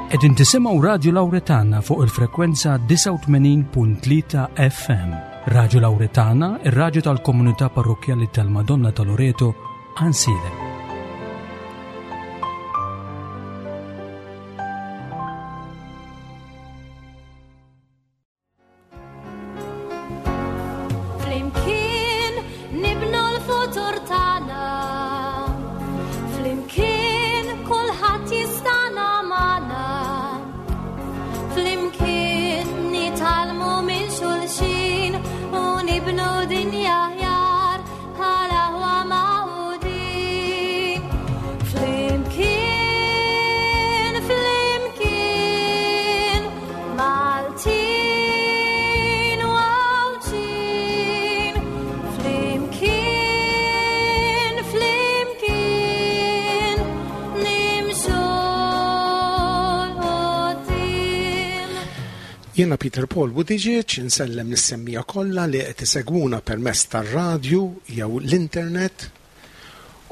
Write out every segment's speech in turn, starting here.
Qegħdin tisimgħu Radju Lawretana fuq il-frekwenza 89.3 FM. Radju Lawretana, ir-radju tal-komunità parrokkjali tal-Madonna ta' Loreto, Ansilem. Flimkien nibnu l-futur tagħna. Flimkien kulħadd jistana magħna. Flimkien nitgħallmu minn xulxin u nibnu dinja aħjar bħala aħwa magħqudin. Flimkien, flimkien, Maltin u Għawdxin, flimkien, flimkien, nimxu 'l quddiem. Jiena Peter Paul Buttigieg insellem lis-semmiegħa kollha li qed isegwuna permezz tar-radju jew l-internet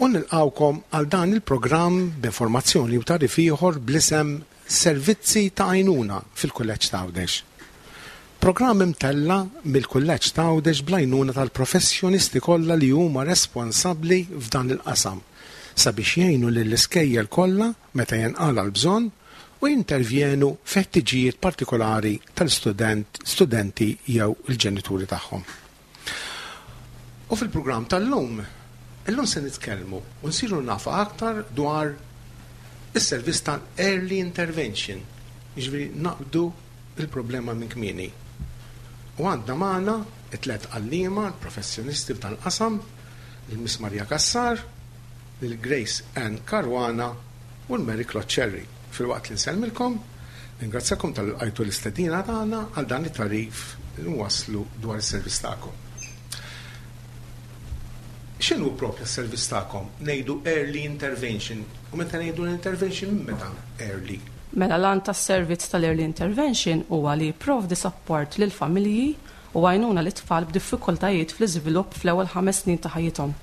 u nilqgħukom għal dan il-programm b'informazzjoni u tagħrif ieħor bl-isem Servizzi ta' Għajnuna fil-Kulleġġ t'Għawdex. Programm imtella' mill-Kulleġġ t'Għawdex bl-għajnuna tal-professjonisti kollha li huma responsabbli f'dan il-qasam sabiex jgħinu lill-iskejjel kollha meta jinqala' l-bżonn u jintervjenu fi ħtiġijiet partikolari tal-istudent, studenti jew il-ġenituri tagħhom. U fil-programm tal-lum, illum se nitkellmu u nsiru nafu aktar dwar is-servizz tal-early intervention, jiġifieri naqbdu il-problema minn kmieni. U għandna magħna it-tlet għalliema, professjonisti f'dan qasam, il-Miss Maria Cassar, lil Grace Ann Caruana u l-Mary Claude Cherry. Filwaqt li nsellmilkom, ningrazzjakom talli lqajtu l-istedina tagħna għal dan it-tagħrif li nwasslu dwar is-servizz tagħkom. X'inhu proprja s-servizz tagħkom? Ngħidu early intervention. U meta ngħidu l-intervention minn meta early? Mela l-għan tas-servizz tal-early intervention huwa li jipprovdi sapport lill-familji u għajnuna lit-tfal b'diffikultajiet fl-iżvilupp fl-ewwel ħames snin ta' ħajjithom.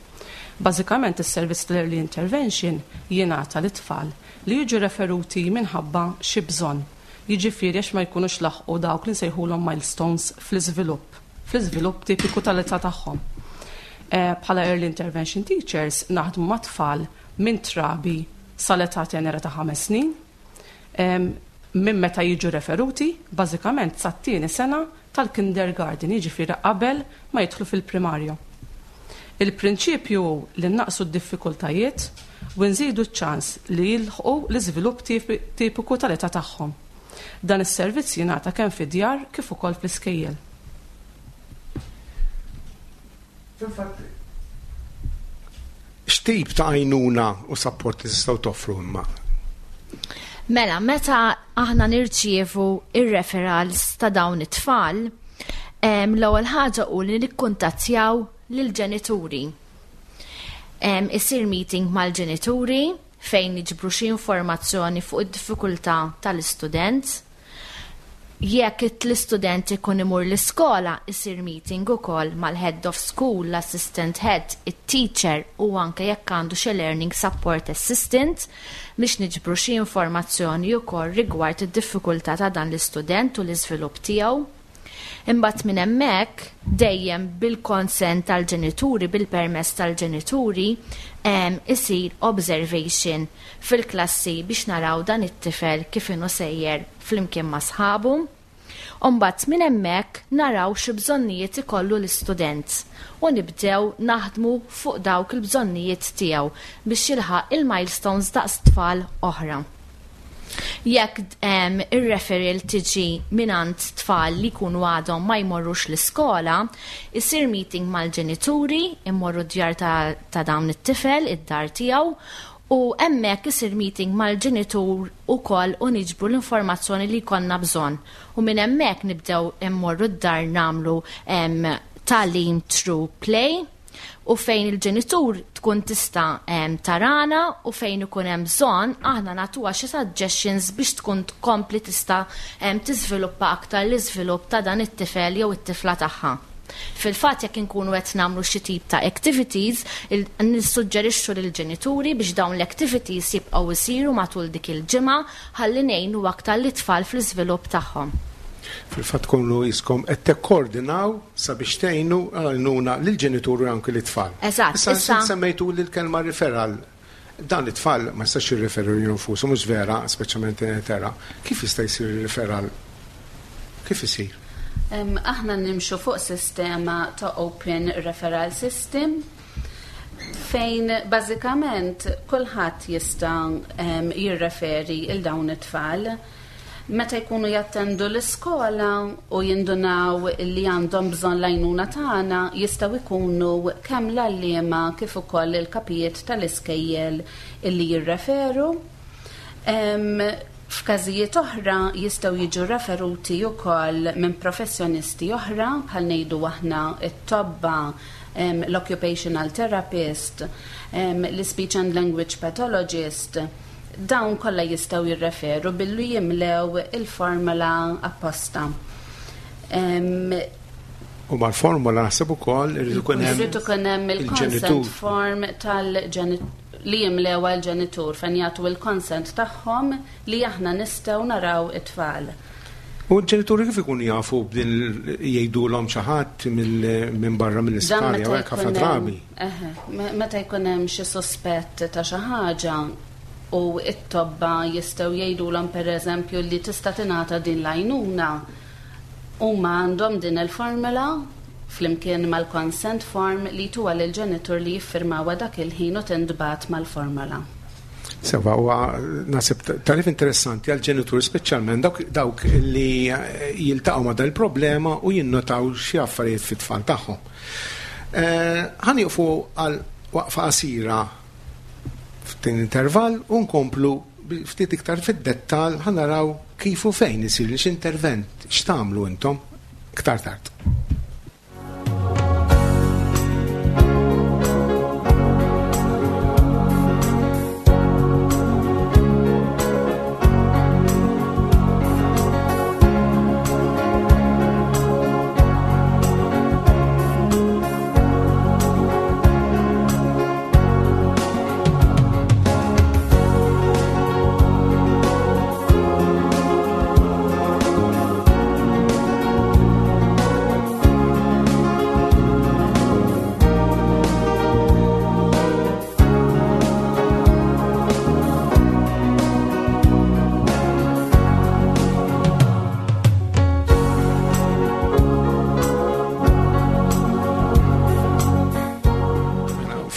Bażikament is-servizz tal-early intervention jingħata lit-tfal li jiġu referuti minħabba xi bżonn, jiġifieri għax ma jkunux laħqu dawk li nsejħulhom milestones fl-iżvilupp, fl-iżvilupp tipiku tal-età tagħhom. Bħala early intervention teachers naħdmu ma' tfal minn trabi sal-età tenera ta' ħames snin, minn meta jiġu referuti, bażikament sat-tieni sena tal-kindergarten, jiġifieri qabel ma jidħlu fil-primarju. Il-prinċipju hu li nnaqqsu d-diffikultajiet u nżidu ċ-ċans li jilħqu l-iżvilupp tipiku tal-età tagħhom. Dan is-servizz jingħata kemm fid-djar kif ukoll fl-iskejjel. Fil-fatt, x'tip ta' għajnuna u sapport tistgħu toffru imma? Mela, meta aħna nirċievu ir-referrals ta' dawn it-tfal, l-ewwel ħaġa hu li nikkuntattjaw lill-ġenituri. Isir meeting mal-ġenituri fejn niġbru xi informazzjoni fuq id-diffikultà tal-istudent. Jekk l-istudent ikun imur l-iskola, isir meeting ukoll mal-head of school, l-assistant head, it-teacher u anke jekk għandu xi learning support assistant biex niġbru xi informazzjoni wkoll rigward id-diffikultà ta' dan l-istudent u l-iżvilupp tiegħu. Imbagħad minn hemmhekk, dejjem bil-konsent tal-ġenituri, bil-permess tal-ġenituri, isir observation fil-klassi biex naraw dan it-tifel kif inhu sejjer flimkien ma' sħabu. U mbagħad minn hemmhekk naraw xi bżonnijiet ikollu l-istudent u nibdew naħdmu fuq dawk il-bżonnijiet tiegħu biex jilħaq il-milestones daqs tfal oħra. Jekk ir-referral tiġi mingħand tfal li jkunu għadhom ma jmorrux l-iskola, isir meeting mal-ġenituri, immorru d-djar ta' dawn it-tifel, id-dar tiegħu, u hemmhekk isir meeting mal-ġenitur ukoll u niġbru l-informazzjoni li jkollna bżonn. U minn hemmhekk nibdew immorru d-dar nagħmlu tagħlim through play u fejn il-ġenitur tkun tista' tarana u fejn ikun hemm bżonn aħna nagħtuha xi suggestions biex tkun tkompli tista' tiżviluppa aktar l-iżvilupp ta' dan it-tifel jew it-tifla tagħha. Fil-fatt jekk inkunu qed nagħmlu xi tip ta' activities, nissuġġerixxu lill-ġenituri biex dawn l-activities jibqgħu jsiru matul dik il-ġimgħa ħalli ngħinu aktar lit-tfal fl-iżvilupp tagħhom. Fil-fatt tkunu qiskom qed tikkoordinaw sabiex tgħinu għajnuna lill-ġenituri u anki lit-tfal. Eżatt. Issa semmejtuli l-kelma referral. Dan it-tfal ma jistax jirreferu lilu nfushom, mhux vera, speċjalment tera. Kif jista' jsir ir-referral? Kif isir? Aħna nimxu fuq sistema ta' Open Referral System fejn bażikament kulħadd jista' jirreferi 'l dawn it-tfal. Meta jkunu jattendu l-iskola u jindunaw li għandhom bżonn l-għajnuna tagħna, jistgħu jkunu kemm l-għalliema kif ukoll il-kapijiet tal-iskejjel illi jirreferu. F'każijiet oħra jistgħu jiġu referuti wkoll minn professjonisti oħra bħal ngħidu aħna t-tobba, l-occupational therapist, l-ispeech and language pathologist. Dawn kollha jistgħu jirreferu billi jimlew il-formola apposta. U mal-formola naħseb ukoll irid ikun hemm Irid ikun hemm il-consent form tal li jimlew għall-ġenitur fejn jagħtu il-consent tagħhom li aħna nistgħu naraw it-tfal. U l-ġenituri kif ikunu jafu b'din jgħidulhom xi ħadd minn barra mill-isptar jew hekk ħafna drabi? Eħe, meta jkun hemm xi suspett ta' xi ħaġa u t-tobba jistgħu jgħidulhom pereżempju li tista' tingħata din l-għajnuna, huma għandhom din il-formula flimkien mal-consent form li jtuha lill-ġenitur li jiffirmawha dak il-ħin u tintbagħat mal-formola. Sewa, huwa nasib tarif interessanti għal ġenituri speċjalment dawk, dawk li jiltaqgħu ma' dan il-problema u jinnotaw xi affarijiet fit-tfal tagħhom. Eh, ħa nieqfu għal waqfa qasira f'din intervall u nkomplu ftit iktar fid-dettal ħa naraw kif u fejn isir x-intervent x'tagħmlu intom iktar tard.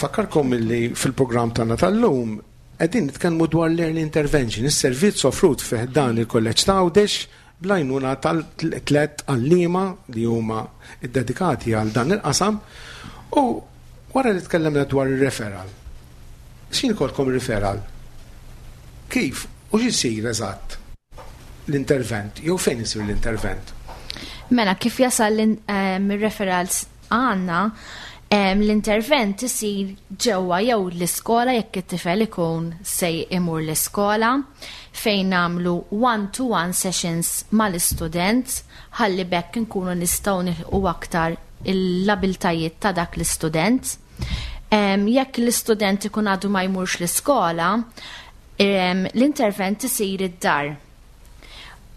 Fakkarkom illi fil-programm tagħna tal-lum qegħdin nitkellmu dwar l-early intervention, is-servizz offrut fih dan il-Kolleġġ ta' Għawdex bl-għajnuna tal-tlet għalliema li huma ddedikati għal dan il-qasam u wara li tkellemna dwar ir-referral. X'in ikolkom referral? Kif u x'isir eżatt l-intervent jew fejn isir l-intervent? Mela, kif jasal l-referrals għandna, l-intervent isir ġewwa jew l-iskola jekk it-tifel ikun se imur l-iskola fejn nagħmlu one-to-one sessions mal-istudent ħalli b'hekk inkunu nistgħu nilħqu aktar l-abiltajiet ta' dak l-istudent. Jekk l-istudent ikun għadu ma jmurx l-iskola, l-intervent isir id-dar.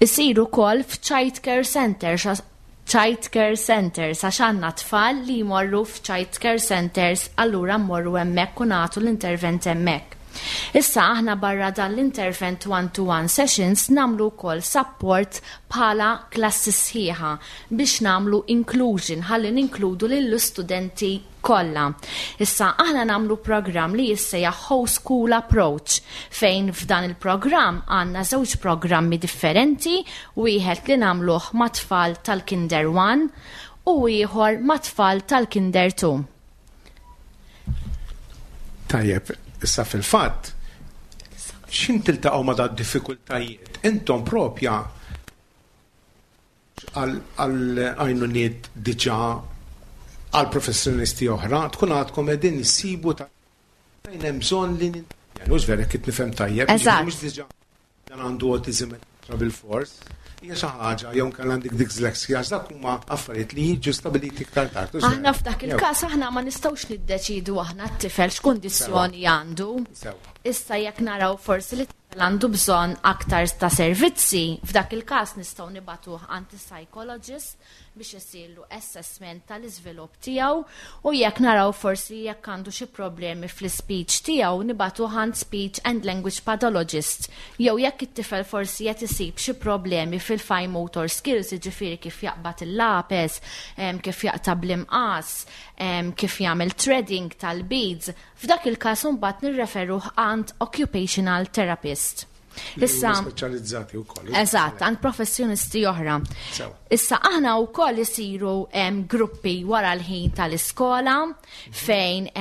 Isir ukoll f'child care centers child care centers għax għandna tfal li jmorru f'child care centers allura mmorru hemmhekk u nagħtu l-intervent hemmhekk. Issa aħna barra dan l-intervent one-to-one sessions nagħmlu wkoll support bħala klassi sħiħa biex nagħmlu inclusion ħalli ninkludu lill-istudenti kollha. Issa aħna nagħmlu programm li jissejjaħ Whole School Approach fejn f'dan il-programm għandna żewġ programmi differenti, wieħed li nagħmluh ma' tfal tal-Kinder 1 u ieħor ma' tfal tal-Kinder 2. Tajjeb, issa fil-fatt, x'in tiltaqgħu ma' dad diffikultajiet? Intom propja għal għajnuniet diġà għal professjonisti oħra, tkun għadkom qegħdin issibu ta' fejn hemm bżonn li Mhux vera kif nifhem tajjeb. Eżatt. Mhux diġà dan għandu autism bil-fors. Hija xi ħaġa jew inkella għandek dyslexia, għax dak huma affarijiet li jiġu stabiliti iktar tard. Aħna f'dak il-każ aħna ma nistgħux niddeċidu aħna t-tifel x'kundizzjoni għandu. Issa jekk naraw forsi li t-tifel għandu bżonn aktar ta' servizzi, f'dak il-każ nistgħu nibagħtuh għand is-psychologist biex isirlu assessment tal-iżvilupp tiegħu u jekk naraw forsi jekk għandu xi problemi fl-ispeech tiegħu nibagħtuh għand speech and language pathologist jew jekk it-tifel forsi qed isib xi problemi fil-fine motor skills, jiġifieri kif jaqbad il-lapes, kif jaqta' bl-imqas, kif jagħmel threading tal-beads, f'dak il-każ imbagħad nirreferuh għand occupational therapist. Issa speċjalizzati wkoll. Eżatt, għand professjonisti oħra. Issa aħna wkoll isiru gruppi wara l-ħin tal-iskola fejn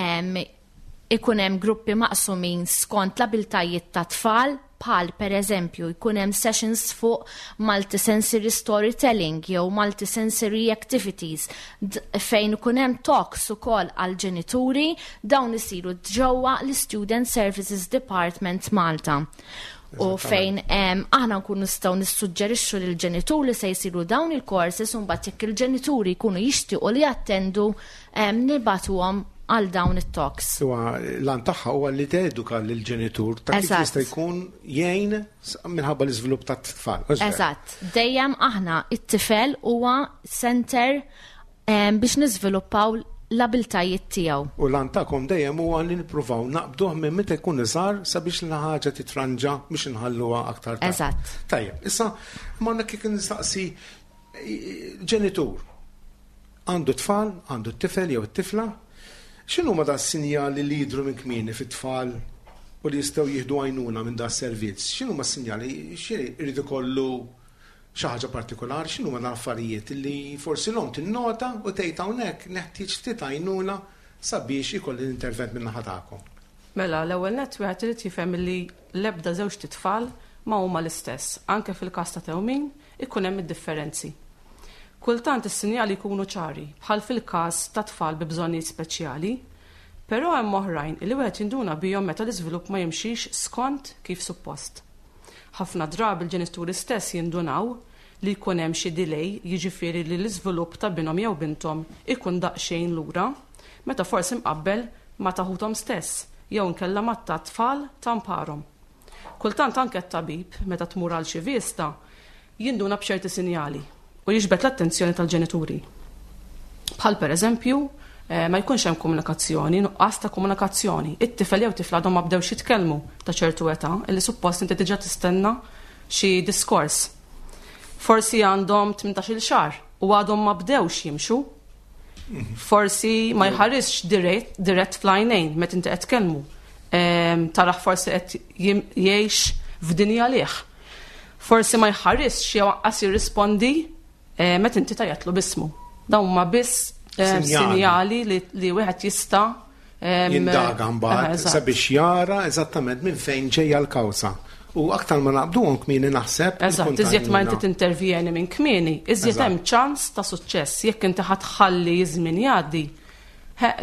ikun hemm gruppi maqsumin skont l-abiltajiet ta' tfal bħal per eżempju jkun hemm sessions fuq multisensory storytelling jew multisensory activities fejn ikun hemm talks ukoll għal ġenituri dawn isiru ġewwa l-Student Services Department Malta. U fejn aħna nkunu nistgħu nissuġġerixxu lil ġenituri se jsiru dawn il-courses u mbagħad jekk il-ġenituri jkunu jixtiequ li jattendu nibagħtuhom għal dawn it-talks. Huwa l-għan tagħha huwa li teduka lill-ġenitur ta' kif jista' jkun jgħin minħabba l-iżvilupp tat-tfal. Eżatt. Dejjem aħna it-tifel huwa center biex niżviluppaw l-abiltajiet tiegħu. U l-għan tagħkom dejjem huwa li nippruvaw naqbduh minn meta jkun iżgħar sabiex l-ħaġa titranġa biex inħalluha aktar tard. Eżatt. Tajjeb, issa ma kif nistaqsi ġenitur għandu tfal, għandu t-tifel jew it-tifla, x'inhu ma da sinjali li jidhru minn kmieni fit-tfal u li jistgħu jieħdu għajnuna minn da servizz? X'inhu ma sinjali xi ikollu xi ħaġa partikolari, x'inhu ma affarijiet li forsi l-omm tinnota u tgħid hawnhekk neħtieġ ftit għajnuna sabiex ikolli l-intervent minn naħa tagħkom. Mela, l-ewwel nett wieħed irid jifhem li l-ebda żewġt itfal ma huma l-istess. Anke fil-każ ta' tewmin ikun hemm id-differenzi. Kultant is-sinjali jkunu ċari, bħal fil-każ ta' tfal bi bżonnijiet speċjali, però hemm oħrajn li wieħed jinduna bihom meta l-iżvilupp ma jimxix skont kif suppost. Ħafna drabi l-ġenituri stess jindunaw li jkun hemm xi delay, jiġifieri li l-iżvilupp ta' binhom jew binthom ikun daqsxejn lura, meta forsi mqabbel ma' ta' ħuthom stess jew inkella ma' ta' tfal ta' mparhom. Kultant anke t-tabib, meta tmur għal xi vista, jinduna b'ċerti sinjali u jiġbed l-attenzjoni tal-ġenituri. Bħal per eżempju, ma jkunx hemm komunikazzjoni, nuqqas ta' komunikazzjoni. It-tifel jew tifla għadhom ma bdewx jitkellmu ta' ċertu età, illi suppost inti diġà tistenna xi diskors. Forsi għandhom 18-il xahar u għadhom ma bdewx jimxu. Forsi ma jħarisx dirett fl-għajnejn meta inti qed tkellmu. Taraħ forsi qed jgħix f'dinja lih. Forsi ma jħarisx jew anqas jirrispondi meta inti tajatlu bismu. Dawn huma biss sinjali li wieħed jista' jindaga mbagħad sabiex jara eżattament minn fejn ġejja l-kawża. U aktar ma naqbduhom kmieni naħseb. Eżatt, iżjed ma inti tintervjeni minn kmieni, iżjed hemm ċans ta' suċċess. Jekk inti ħa tħalli żmien jgħaddi,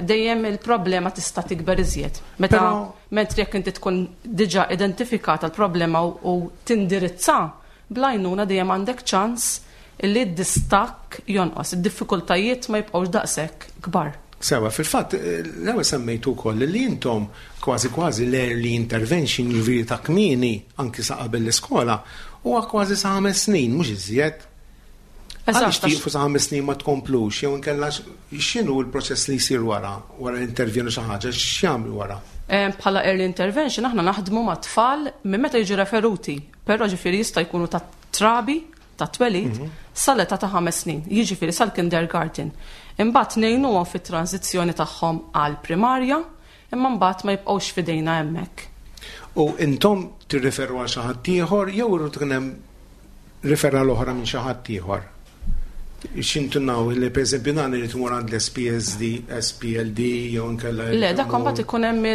dejjem il-problema tista' tikber iżjed. Meta mentri jekk inti tkun diġà identifikata l-problema u tindirizza bl-għajnuna dejjem għandek ċans li d-distakk jonqos, id-diffikultajiet ma jibqgħux daqshekk kbar. Sewa, fil-fatt, l-ewwel semmejtu wkoll li intom kważi kważi l-early intervention jiġifieri ta' kmieni anki sa qabel l-iskola huwa kważi sa 5 snin, mhux iżjed. Għaliex tieqfu sa 5 snin ma tkomplux, jew inkella x'inhu l-proċess li jsir wara, wara l-intervjenu xi ħaġa, x'jagħmlu wara? Bħala early intervention aħna naħdmu ma' tfal minn meta jiġu referuti, però ġifieri jista' jkunu ta' trabi ta' twelid sal-età ta' 5 snin, jiġifieri sal-kindergarten. Imbagħad ngħinuhom fit-transizzjoni tagħhom għal primarja, imma mbagħad ma jibqgħux f'idejna hemmhekk. U intom tirriferu għal xi ħadd ieħor jew irid ikun hemm referral oħra minn xi ħadd ieħor? X'intunaw li pereżempju dan irid imur għand l-SPSD, SPLD jew inkella Le, dak imbagħad ikun hemm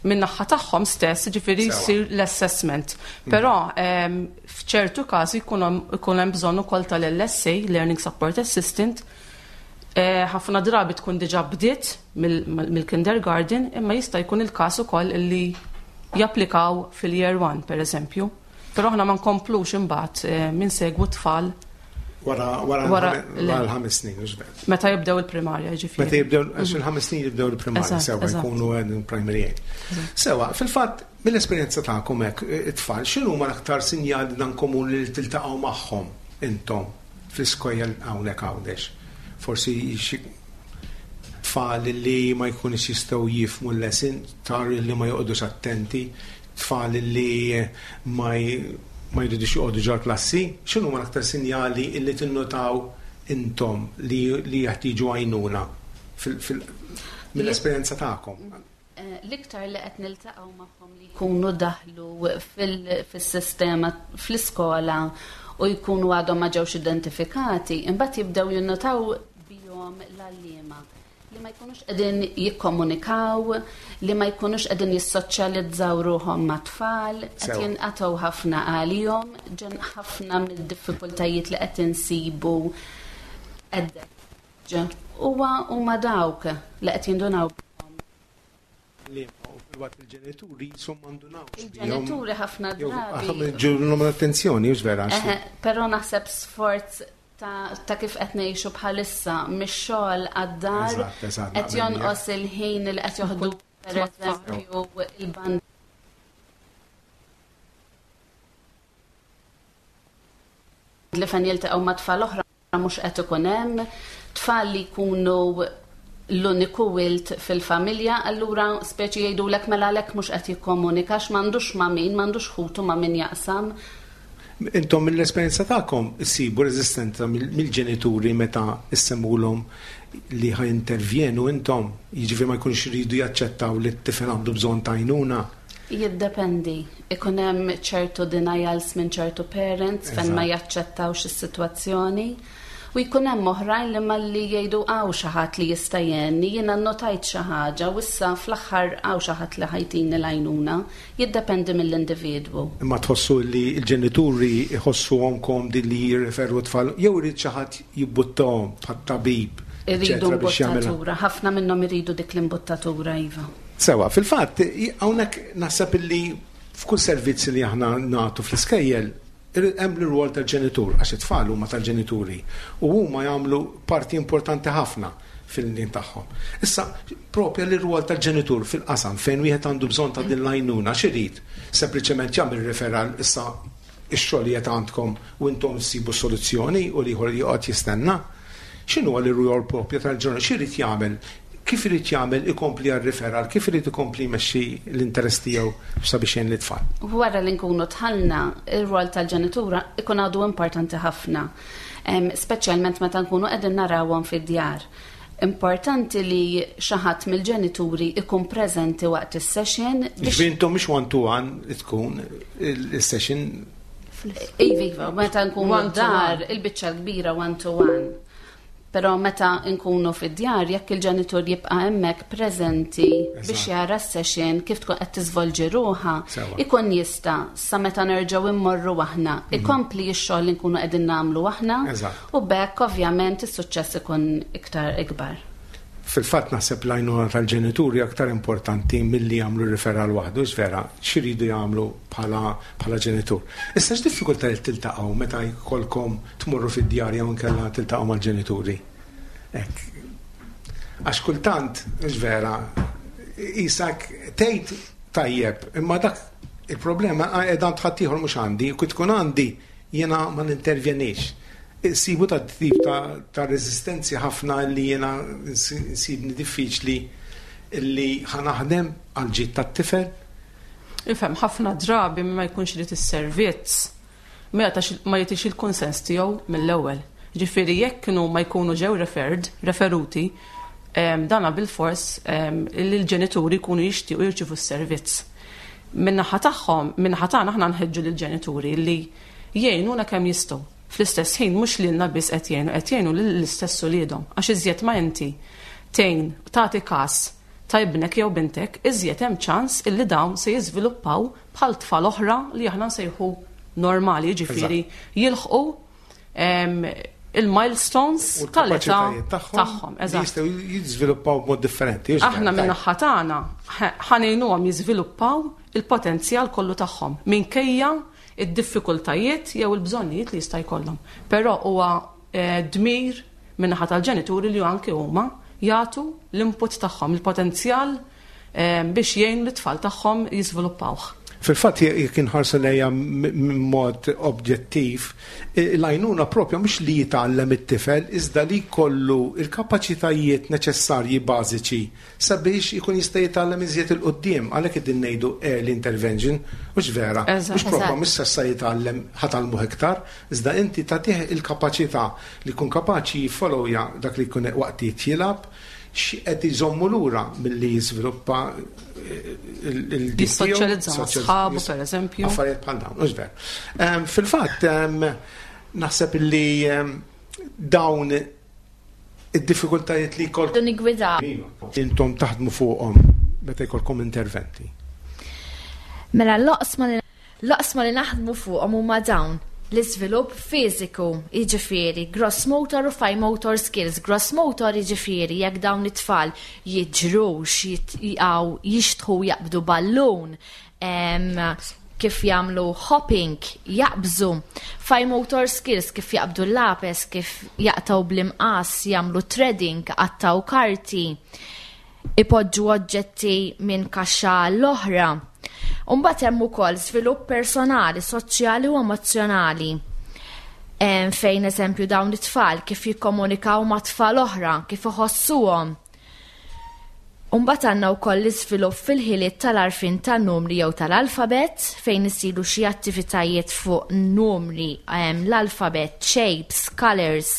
min-naħa tagħhom stess, ġifieri jsir l-assessment. Però f'ċertu każi jkun hemm bżonn ukoll tal-LSA, Learning Support Assistant, ħafna drabi tkun diġà bdiet mill-kindergarten, imma jista' jkun il-każ ukoll li japplikaw fil-year 1, per eżempju. Però aħna ma nkomplux imbagħad insegwu tfal Wara wara Wara- l-ħames snin, hux vera. meta jibdew il-primarja, jiġifieri. Meta jibdew, għax il-ħames snin jibdew il-primarja, sewa jkunu għedin primary age. Sewa, fil-fatt, mill-esperjenza tagħkom hekk, it-tfal, x'inhu ma l-aktar sinjali dan komuni li tiltaqgħu magħhom intom fl-iskejjel hawnhekk Għawdex? Forsi xi tfal li ma jkunux jistgħu jifhmu l-lesson, tfal li ma joqogħdux attenti, tfal li ma jridux joqogħdu ġol klassi, x'inhu ma l-aktar sinjali li tinnotaw intom li jeħtieġu għajnuna mill-esperjenza tagħkom? L-iktar li qed niltaqgħu magħhom li jkunu daħlu fis-sistema fl-iskola u jkunu għadhom ma ġewx identifikati, imbagħad jibdew jinnotaw bihom l-għalliema li ma jkunux qegħdin jikkomunikaw, li ma jkunux qegħdin jissoċjalizzaw ruħhom ma' tfal, qed jinqatgħu ħafna għalihom, ġen ħafna mid-diffikultajiet li qed insibu qed huwa huma dawk li qed jindunaw. Li u fil-waqt il-ġenituri jisum mandunawx bihom. Il-ġenituri ħafna Jew drabi. ħafna ġurlhom l-attenzjoni, hux vera, għax Eħe, però naħseb sforz ta' kif qed ngħixu bħalissa mix-xogħol għad-dar, Eżatt, eżatt, qed naqbel jonqos miegħek. il-ħin li qed joħdu Kull per eżempju il-band li fejn jiltaqgħu ma' tfal oħra mhux qed ikun hemm, tfal li jkunu l-uniku wild fil-familja, allura speċi jgħidulek mela għalhekk mhux qed jikkomunikax, m'għandux ma' min, m'għandux ħutu ma' min jaqsam. Intom mill-esperjenza tagħkom issibu reżistenza mill-ġenituri meta issemmulhom li ħa jintervjenu intom, jiġifieri ma jkunx iridu jaċċettaw li t-tifel għandu bżonn ta' għajnuna? Jiddependi. Ikun hemm ċertu denials minn ċertu parents fejn ma jaċċettawx is-sitwazzjoni. U jkun hemm oħrajn li malli jgħidu hawn xi ħadd li jista' jgħinni, jiena nnotajt xi ħaġa u issa fl-aħħar hawn xi ħadd li ħajtini l-għajnuna. Jiddependi mill-individwu. Imma tħossu li l-ġenituri jħossuhom komdi li jirreferu tfal jew irid xi ħadd jibbuttahom bħat-tabib, Iridu eċetera, biex jagħmilha. imbuttatura, ħafna minnhom iridu dik l-imbuttatura, iva. Sewa, fil-fatt, hawnhekk naħseb illi f'kull servizz li aħna nagħtu fl-iskejjel hemm l-rwol tal-ġenitur, għax it-tfal huma tal-ġenituri u huma jagħmlu parti importanti ħafna fil-din tagħhom. Issa, propja l-rwol tal-ġenitur fil-qasam fejn wieħed għandu bżonn ta' din l-għajnuna, x'irid? Sempliċement jagħmel referral issa ix-xogħol li qed għandkom u intom ssibu soluzzjoni u l-ieħor joqgħod jistenna. X'inhu l-rwol propja tal-ġenitur? X'irid jagħmel? Kif irid jagħmel ikompli għar-referral? Kif irid ikompli jmexxi l-interess tiegħu sabiex jgħin lit-tfal? Wara li nkunu tħallna, ir-rwol tal-ġenitura ikun għadu importanti ħafna, speċjalment meta nkunu qegħdin narawhom fid-djar. Importanti li xi ħadd mill-ġenituri ikun preżenti waqt is-session biex Ġifieri intom mhux one to one tkun il-session. Iva, iva, meta nkunu One to dar, one. il-biċċa l-kbira one to one. Però meta nkunu fid-djar, jekk il-ġenitur jibqa' hemmhekk preżenti biex jara s-session kif tkun qed tiżvolġi ruħha, ikun jista' sa meta nerġgħu immorru aħna, ikompli x-xogħol li nkunu qegħdin nagħmlu aħna, u b'hekk ovvjament is-suċċess ikun iktar ikbar. Fil-fatt naħseb l-għajnuna tal-ġenituri aktar importanti milli jagħmlu referral waħdu, vera, x'iridu jagħmlu bħala ġenitur. Issa x'diffikultajiet tiltaqgħu meta jkollkom tmorru fid-djar jew inkella tiltaqgħu mal-ġenituri? Hekk. Għax kultant, vera, isak tgħid tajjeb, imma dak il-problema qiegħda għand ħaddieħor mhux għandi, u kif tkun għandi jiena ma nintervjenix. Sibu ta' tip ta' rezistenzi ħafna li jiena nsibni diffiċli li ħanaħdem għal ġid tat-tifel. Ifhem, ħafna drabi ma jkunx irid is-servizz, ma jagħtix il-konsens tiegħu mill-ewwel. Ġifieri jekk kienu ma jkunu ġew referuti, dana bil-fors li l-ġenituri jkunu jixtiequ jirċievu s-servizz. Min-naħa tagħhom, min-naħa tagħna aħna nħeġġu lill-ġenituri li jgħinuna kemm jistgħu. Fl-istess ħin mhux lilna biss qed jgħinu, qed jgħinu lill-istess uliedhom. Għax iżjed ma inti tgħin tagħti każ ta' ibnek jew bintek, iżjed hemm ċans illi dawn se jiżviluppaw bħal tfal oħra li aħna nsejħu normali, jiġifieri jilħqu il-milestones U tal-età l-kapaċitajiet tagħhom tagħhom, li eżatt. jistgħu jiżviluppaw b'mod differenti, jiġifieri, Aħna minn tajjeb. naħa tagħna ħanejnuhom jiżviluppaw il-potenzjal kollu tagħhom minkejja id-diffikultajiet jew il-bżonnijiet li jista' jkollhom. Però huwa dmir min-naħa tal-ġenituri li anke huma jagħtu l-input tagħhom, il-potenzjal biex jgħinu lit-tfal tagħhom jiżviluppawh. Fil-fatt jekk inħarsu lejha mod objettiv, l-għajnuna propja mhux li jitgħallem it-tifel iżda li jkollu l-kapaċitajiet neċessarji bażiċi sabiex ikun jista' jitgħallem iżjed 'il quddiem, għalhekk qegħdin ngħidu early intervention, mhux vera? Mhux propja mhux s'issa jitgħallem ħa tgħallmuh iktar, iżda inti tagħtih il-kapaċità li jkun kapaċi jiffollowja dak li jkun waqt li jilgħab, x'qed iżommu lura milli jiżviluppa il-dik tiegħu. Jissoċjalizza ma' sħabu, pereżempju. Affarijiet bħal dawn, mhux vera. Fil-fatt, naħseb li dawn id-diffikultajiet li jkollkom. Nigwidaw. Intom taħdmu fuqhom meta jkollkom interventi. Mela l-oqsma li L-oqsma li naħdmu fuqhom huma dawn, l-iżvilupp fiżiku, jiġifieri gross motor u fine motor skills. Gross motor jiġifieri jekk dawn it-tfal jiġrux, jitqgħu, jixtħu jaqbdu ballun, kif jagħmlu hopping, jaqbżu. Fine motor skills kif jaqbdu l-lapes, kif jaqtgħu bl-imqass, jagħmlu threading, iqattgħu karti. ipoġġu oġġetti minn kaxxa għall-oħra. U mbagħad hemm ukoll żvilupp personali, soċjali u emozzjonali. Fejn eżempju dawn it-tfal kif jikkomunikaw ma' tfal oħra, kif iħossuhom. U mbagħad għandna wkoll l-iżvilupp fil-ħiliet tal-għarfien tan-numri jew tal-alfabett fejn isiru xi attivitajiet fuq numri, l-alfabett, shapes, colors.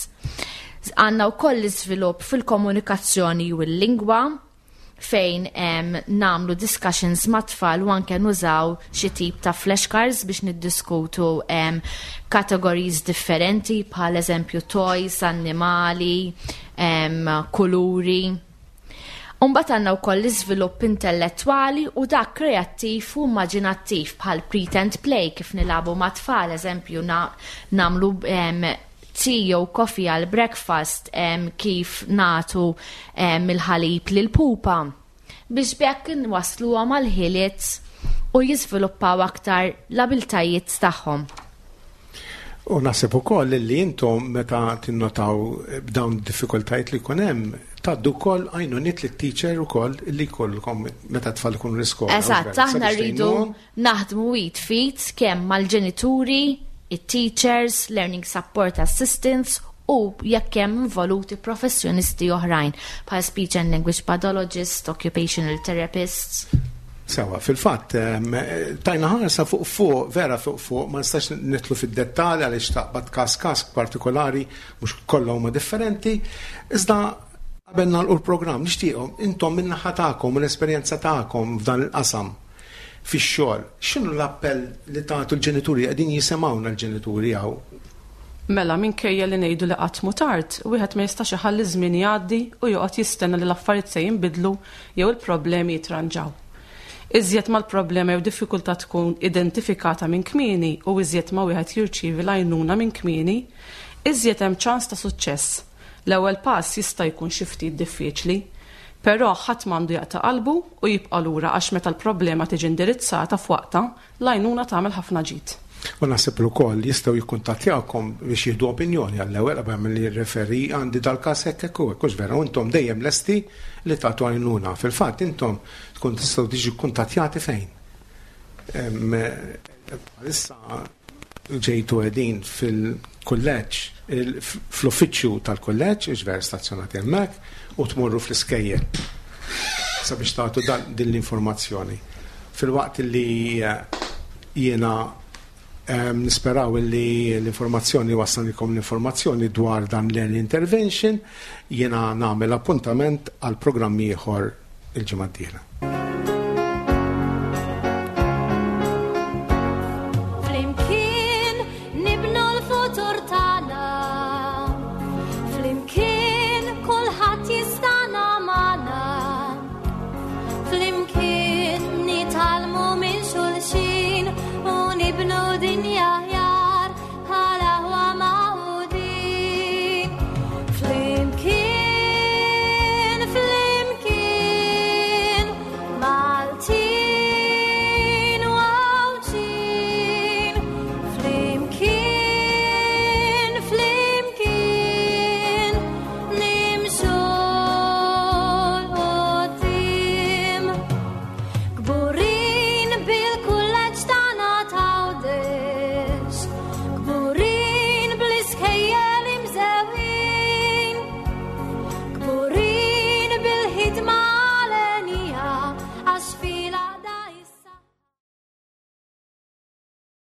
Għandna wkoll l-iżvilupp fil-komunikazzjoni u l-lingwa fejn nagħmlu discussions ma' tfal u anke nużaw xi tip ta' flashcards biex niddiskutu categories differenti bħal eżempju toys, annimali, kuluri. Umbagħad għandna wkoll l-iżvilupp intellettwali u dak kreattiv u immaġinattiv bħal pretend play kif nilagħbu ma' tfal, eżempju nagħmlu tea jew coffee għal breakfast kif nagħtu il-ħalib lil pupa biex b'hekk inwassluhom għal ħiliet u jiżviluppaw aktar l-abiltajiet tagħhom. U naħseb ukoll li intom meta tinnotaw b'dawn id-diffikultajiet li jkun hemm, tgħaddu wkoll għajnuniet lit-teacher ukoll li jkollkom meta t-tfal ikunu l-iskola. Eżatt, aħna rridu Naħdmu id f'id kemm mal-ġenituri, it-teachers, learning support assistants u jekk hemm involuti professjonisti oħrajn bħal speech and language pathologists, occupational therapists. Sewa, fil-fatt, tajna ħarsa fuq fuq, vera fuq fuq, ma nistax nitlu fid-dettall għaliex taqbad każ każ partikolari, mhux kollha huma differenti, iżda qabel nagħlqu l-programm nixtieqhom intom min-naħa tagħkom u l-esperjenza tagħkom f'dan il-qasam. fix-xogħol. X'inhu l-appell li tagħtu l-ġenituri qegħdin jisimgħuna l-ġenituri hawn? Mela, minkejja li ngħidu li qatt mhu tard, wieħed ma jistax iħalli ż-żmien jgħaddi u joqgħod jistenna li l-affarijiet se jinbidlu jew il-problemi jitranġaw. Iżjed ma l-problema jew diffikultà tkun identifikata minn kmieni u iżjed ma wieħed jirċievi l-għajnuna minn kmieni, iżjed hemm ċans ta' suċċess. L-ewwel pass jista' jkun xi ftit diffiċli. Però ħadd m'għandu jaqta' qalbu u jibqa' lura għax meta l-problema tiġi indirizzata f'waqtha, l-għajnuna tagħmel ħafna ġid. U naħseb li wkoll jistgħu jikkuntattjawkom biex jieħdu opinjoni għall-ewwel qabel ma jirreferi għandi dal-każ hekk hekk u hekk, hux vera? U intom dejjem lesti li tagħtu għajnuna. Fil-fatt intom tkun tistgħu tiġu kkuntattjati fejn? Bħalissa ġejtu qegħdin fil-kulleġġ, fl-uffiċċju tal-kulleġġ, iġver stazzjonati hemmhekk, u tmorru fl-iskejjel sabiex tagħtu din l-informazzjoni. Filwaqt li eh, jiena eh, nisperaw li l-informazzjoni wassalilkom l-informazzjoni dwar dan l-early intervention, jiena nagħmel appuntament għal programm ieħor il-ġimgħa d-dieħla.